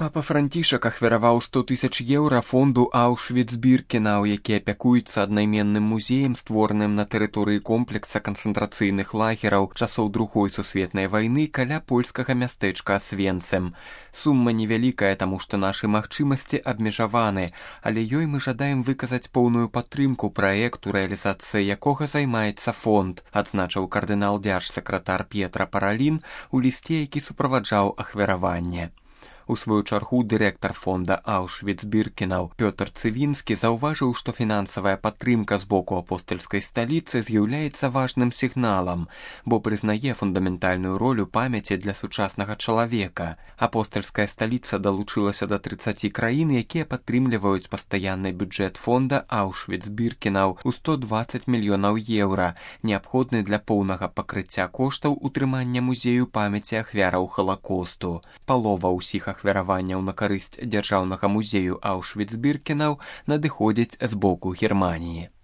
Папа Францішак ахвяраваў 100 000 еўра фонду Аўшвіц-Біркенаў, які апякуецца аднайменным музеем, створаным на тэрыторыі комплекса канцэнтрацыйных лагераў часоў Другой сусветнай вайны каля польскага мястэчка Асвенцэм. Сума невялікая, таму што нашы магчымасці абмежаваны, але ёй мы жадаем выказаць поўную падтрымку праекту, рэалізацыяй якога займаецца фонд, адзначыў кардынал дзяржсакратар П'етра Паралін у лісце, які суправаджаў ахвяраванне. У сваю чаргу дырэктар фонда Аўшвіц-Біркенаў Пётр Цывінскі заўважыў, што фінансавая падтрымка з боку апостальскай сталіцы з'яўляецца важным сігналам, бо прызнае фундаментальную ролю памяці для сучаснага чалавека. Апостальская сталіца далучылася да 30 краін, якія падтрымліваюць пастаянны бюджэт фонда Аўшвіц-Біркенаў у 120 мільёнаў еўра, неабходны для поўнага пакрыцця коштаў утрымання музею памяці ахвяраў Халакосту. Палова ўсіх ахвяраванняў на карысць дзяржаўнага музею Аўшвіц-Біркенаў надыходзіць з боку Германіі.